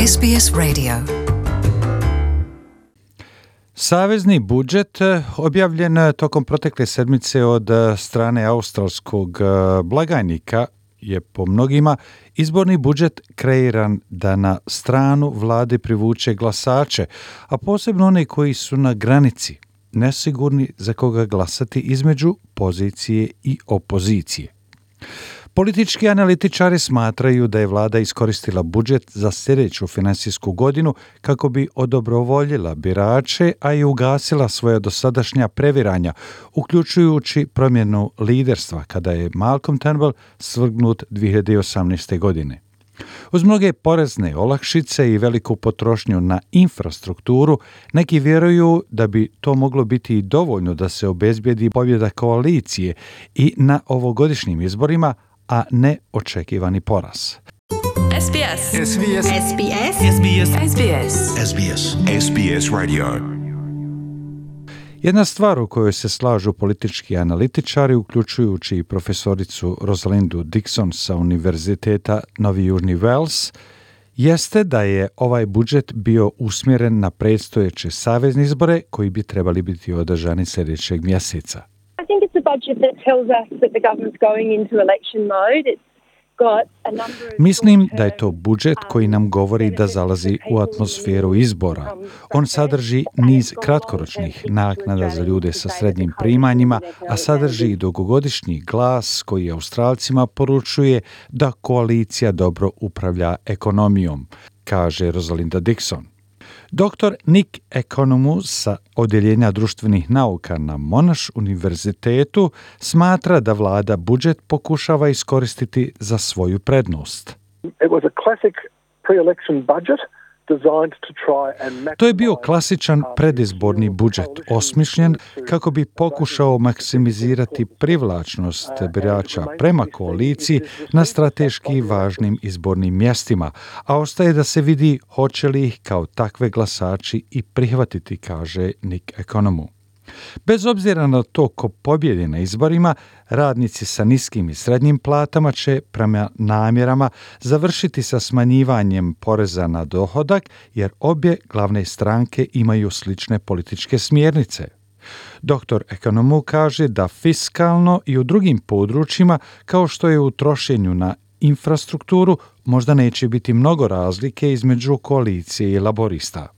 SBS Radio. Savezni budžet objavljen tokom protekle sedmice od strane australskog blagajnika je po mnogima izborni budžet kreiran da na stranu vlade privuče glasače, a posebno one koji su na granici, nesigurni za koga glasati između pozicije i opozicije. Politički analitičari smatraju da je vlada iskoristila budžet za sljedeću finansijsku godinu kako bi odobrovoljila birače, a i ugasila svoja dosadašnja previranja, uključujući promjenu liderstva kada je Malcolm Turnbull svrgnut 2018. godine. Uz mnoge porezne olakšice i veliku potrošnju na infrastrukturu, neki vjeruju da bi to moglo biti i dovoljno da se obezbijedi pobjeda koalicije i na ovogodišnjim izborima, a ne očekivani poraz. SBS. SBS. SBS. SBS. SBS. SBS. SBS Radio. Jedna stvar u kojoj se slažu politički analitičari, uključujući i profesoricu Rosalindu Dixon sa Univerziteta Novi Južni Wales, jeste da je ovaj budžet bio usmjeren na predstojeće savezne izbore koji bi trebali biti održani sljedećeg mjeseca. I think it's a budget that tells us that the government's going into election mode. It's got a number of Mislim da je to budžet koji nam govori da zalazi u atmosferu izbora. On sadrži niz kratkoročnih naknada za ljude sa srednjim primanjima, a sadrži i dugogodišnji glas koji Australcima poručuje da koalicija dobro upravlja ekonomijom, kaže Rosalinda Dixon. Dr. Nick Economou sa Odjeljenja društvenih nauka na Monash univerzitetu smatra da vlada budžet pokušava iskoristiti za svoju prednost. It was a classic pre-election budget designed to try and To je bio klasičan predizborni budžet, osmišljen kako bi pokušao maksimizirati privlačnost birača prema koaliciji na strateški važnim izbornim mjestima, a ostaje da se vidi hoće li ih kao takve glasači i prihvatiti, kaže Nick Economou. Bez obzira na to ko pobjedi na izborima, radnici sa niskim i srednjim platama će prema namjerama završiti sa smanjivanjem poreza na dohodak, jer obje glavne stranke imaju slične političke smjernice. Dr. Economou kaže da fiskalno i u drugim područjima, kao što je u trošenju na infrastrukturu, možda neće biti mnogo razlike između koalicije i laborista.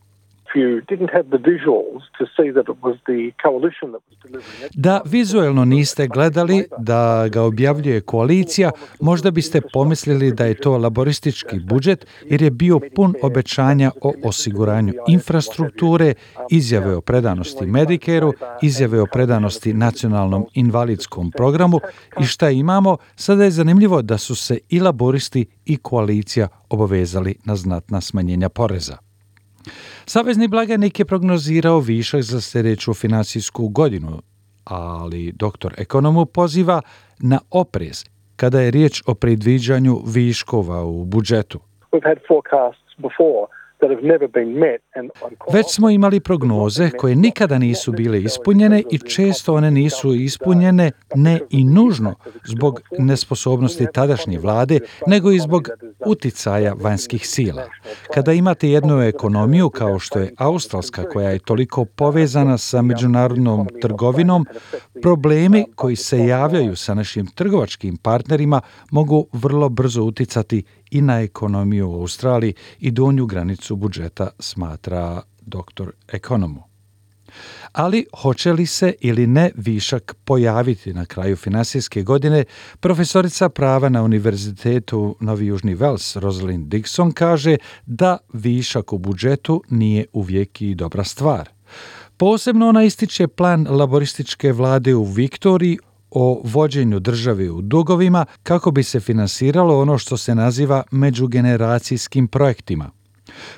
Da vizuelno niste gledali da ga objavljuje koalicija, možda biste pomislili da je to laboristički budžet jer je bio pun obećanja o osiguranju infrastrukture, izjave o predanosti Medicareu, izjave o predanosti nacionalnom invalidskom programu i šta imamo, sada je zanimljivo da su se i laboristi i koalicija obavezali na znatna smanjenja poreza. Savezni blagajnik je prognozirao višak za sljedeću finansijsku godinu, ali dr. Economou poziva na oprez kada je riječ o predviđanju viškova u budžetu. Već smo imali prognoze koje nikada nisu bile ispunjene i često one nisu ispunjene ne i nužno zbog nesposobnosti tadašnje vlade, nego i zbog uticaja vanjskih sila. Kada imate jednu ekonomiju kao što je australska koja je toliko povezana sa međunarodnom trgovinom, problemi koji se javljaju sa našim trgovačkim partnerima mogu vrlo brzo uticati i na ekonomiju u Australiji i donju granicu budžeta, smatra dr. Economou. Ali hoće li se ili ne višak pojaviti na kraju finansijske godine, profesorica prava na Univerzitetu Novi Južni Wales Rosalind Dixon kaže da višak u budžetu nije uvijek i dobra stvar. Posebno ona ističe plan laborističke vlade u Viktoriji o vođenju države u dugovima kako bi se finansiralo ono što se naziva međugeneracijskim projektima.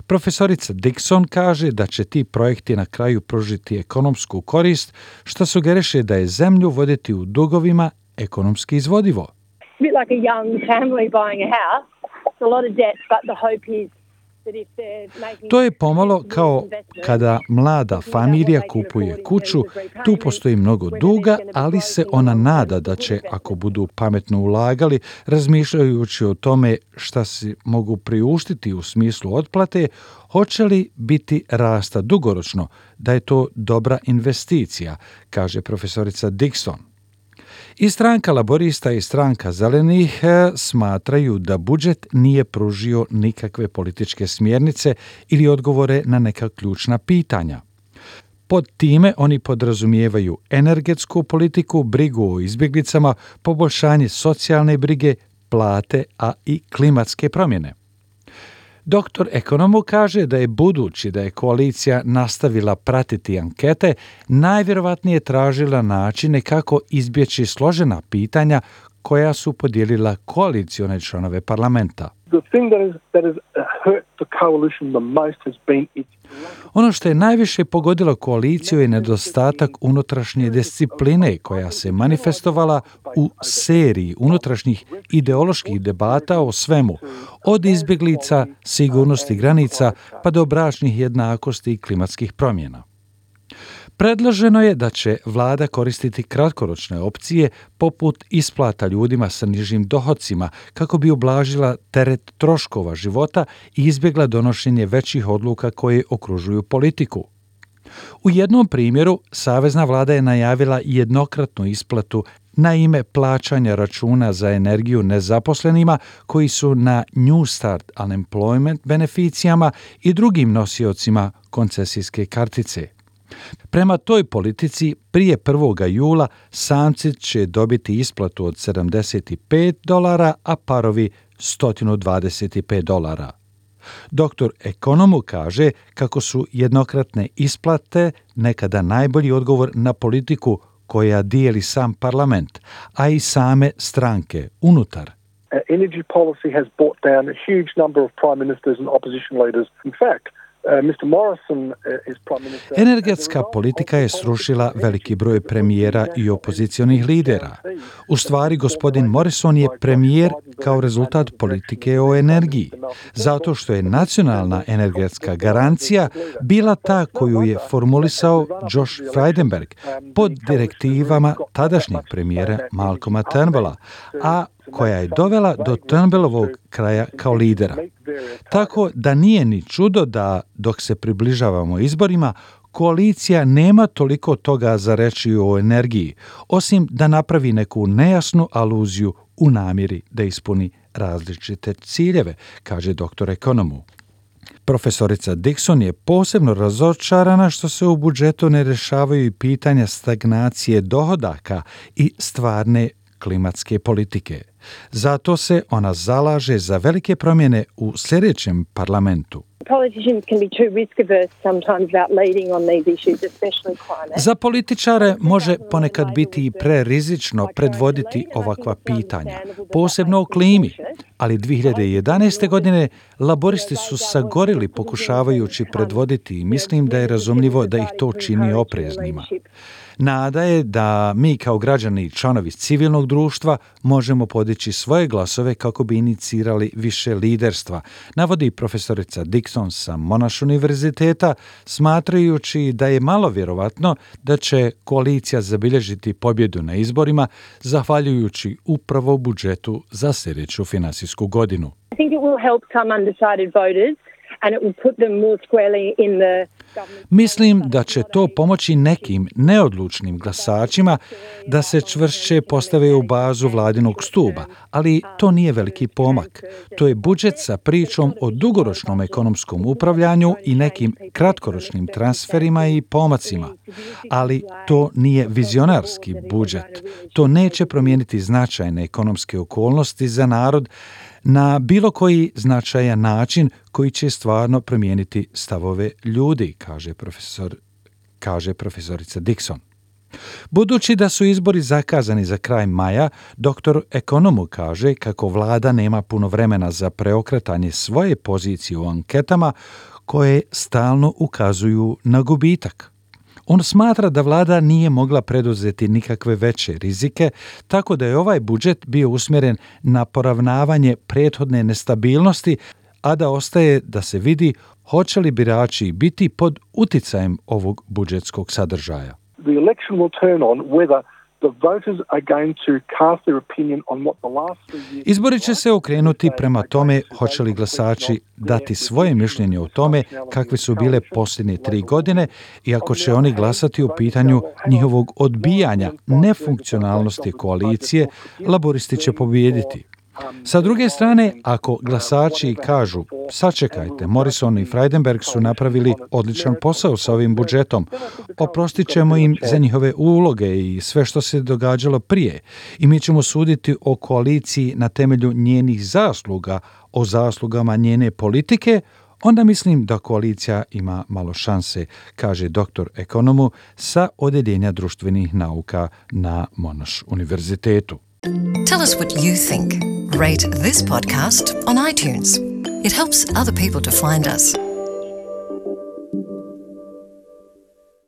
Profesorica Dixon kaže da će ti projekti na kraju pružiti ekonomsku korist, što sugeriše da je zemlju voditi u dugovima ekonomski izvodivo. a bit like a young family buying a house. It's a lot of debt, but the hope is To je pomalo kao kada mlada familija kupuje kuću, tu postoji mnogo duga, ali se ona nada da će, ako budu pametno ulagali, razmišljajući o tome šta si mogu priuštiti u smislu otplate, hoće li biti rasta dugoročno, da je to dobra investicija, kaže profesorica Dixon. I stranka laborista i stranka zelenih smatraju da budžet nije pružio nikakve političke smjernice ili odgovore na neka ključna pitanja. Pod time oni podrazumijevaju energetsku politiku, brigu o izbjeglicama, poboljšanje socijalne brige, plate, a i klimatske promjene. Doktor ekonomu kaže da je budući da je koalicija nastavila pratiti ankete, najvjerovatnije tražila načine kako izbjeći složena pitanja koja su podijelila koalicione članove parlamenta. Ono što je najviše pogodilo koaliciju je nedostatak unutrašnje discipline koja se manifestovala u seriji unutrašnjih ideoloških debata o svemu, od izbjeglica, sigurnosti granica pa do bračnih jednakosti i klimatskih promjena. Predloženo je da će vlada koristiti kratkoročne opcije poput isplata ljudima sa nižim dohocima kako bi ublažila teret troškova života i izbjegla donošenje većih odluka koje okružuju politiku. U jednom primjeru, savezna vlada je najavila jednokratnu isplatu na ime plaćanja računa za energiju nezaposlenima koji su na New Start Unemployment beneficijama i drugim nosiocima koncesijske kartice. Prema toj politici, prije 1. jula samci će dobiti isplatu od $75, a parovi $125. Doktor ekonomu kaže kako su jednokratne isplate nekada najbolji odgovor na politiku koja dijeli sam parlament, a i same stranke unutar. Energy policy has brought down a huge number of prime ministers and opposition leaders. In fact, energetska politika je srušila veliki broj premijera i opozicionih lidera. U stvari, gospodin Morrison je premijer kao rezultat politike o energiji, zato što je nacionalna energetska garancija bila ta koju je formulisao Josh Frydenberg pod direktivama tadašnjeg premijera Malcolma Turnbulla, a koja je dovela do Turnbullovog kraja kao lidera. Tako da nije ni čudo da, dok se približavamo izborima, koalicija nema toliko toga za reći o energiji, osim da napravi neku nejasnu aluziju u namjeri da ispuni različite ciljeve, kaže doktor ekonomu. Profesorica Dixon je posebno razočarana što se u budžetu ne rješavaju i pitanja stagnacije dohodaka i stvarne klimatske politike. Zato se ona zalaže za velike promjene u sljedećem parlamentu. Za političare može ponekad biti i prerizično predvoditi ovakva pitanja, posebno o klimi, ali 2011. godine laboristi su sagorili pokušavajući predvoditi i mislim da je razumljivo da ih to čini opreznima. Nada je da mi kao građani i članovi civilnog društva možemo podići svoje glasove kako bi inicirali više liderstva, navodi profesorica Dixon sa Monash univerziteta, smatrajući da je malo vjerovatno da će koalicija zabilježiti pobjedu na izborima zahvaljujući upravo budžetu za sljedeću finansijsku godinu. I think it will help some undecided voters and it will put them more squarely in the. Mislim da će to pomoći nekim neodlučnim glasačima da se čvršće postave u bazu vladinog stuba, ali to nije veliki pomak. To je budžet sa pričom o dugoročnom ekonomskom upravljanju i nekim kratkoročnim transferima i pomacima. Ali to nije vizionarski budžet. To neće promijeniti značajne ekonomske okolnosti za narod na bilo koji značajan način koji će stvarno promijeniti stavove ljudi, kaže profesorica Dixon. Budući da su izbori zakazani za kraj maja, doktor ekonomu kaže kako vlada nema puno vremena za preokretanje svoje pozicije u anketama koje stalno ukazuju na gubitak. On smatra da vlada nije mogla preduzeti nikakve veće rizike, tako da je ovaj budžet bio usmjeren na poravnavanje prethodne nestabilnosti, a da ostaje da se vidi hoće li birači biti pod uticajem ovog budžetskog sadržaja. The election will turn on whether the voters are going to cast their opinion on what the last 3 years... Izbori će se okrenuti prema tome hoće li glasači dati svoje mišljenje o tome kakve su bile posljednje 3 godine i ako će oni glasati u pitanju njihovog odbijanja nefunkcionalnosti koalicije, laboristi će pobijediti. Sa druge strane, ako glasači kažu, sačekajte, Morrison i Frydenberg su napravili odličan posao sa ovim budžetom, oprostit ćemo im za njihove uloge i sve što se događalo prije i mi ćemo suditi o koaliciji na temelju njenih zasluga, o zaslugama njene politike, onda mislim da koalicija ima malo šanse, kaže doktor ekonomu sa Odeljenja društvenih nauka na Monash univerzitetu. Tell us what you think. Rate this podcast on iTunes. It helps other people to find us.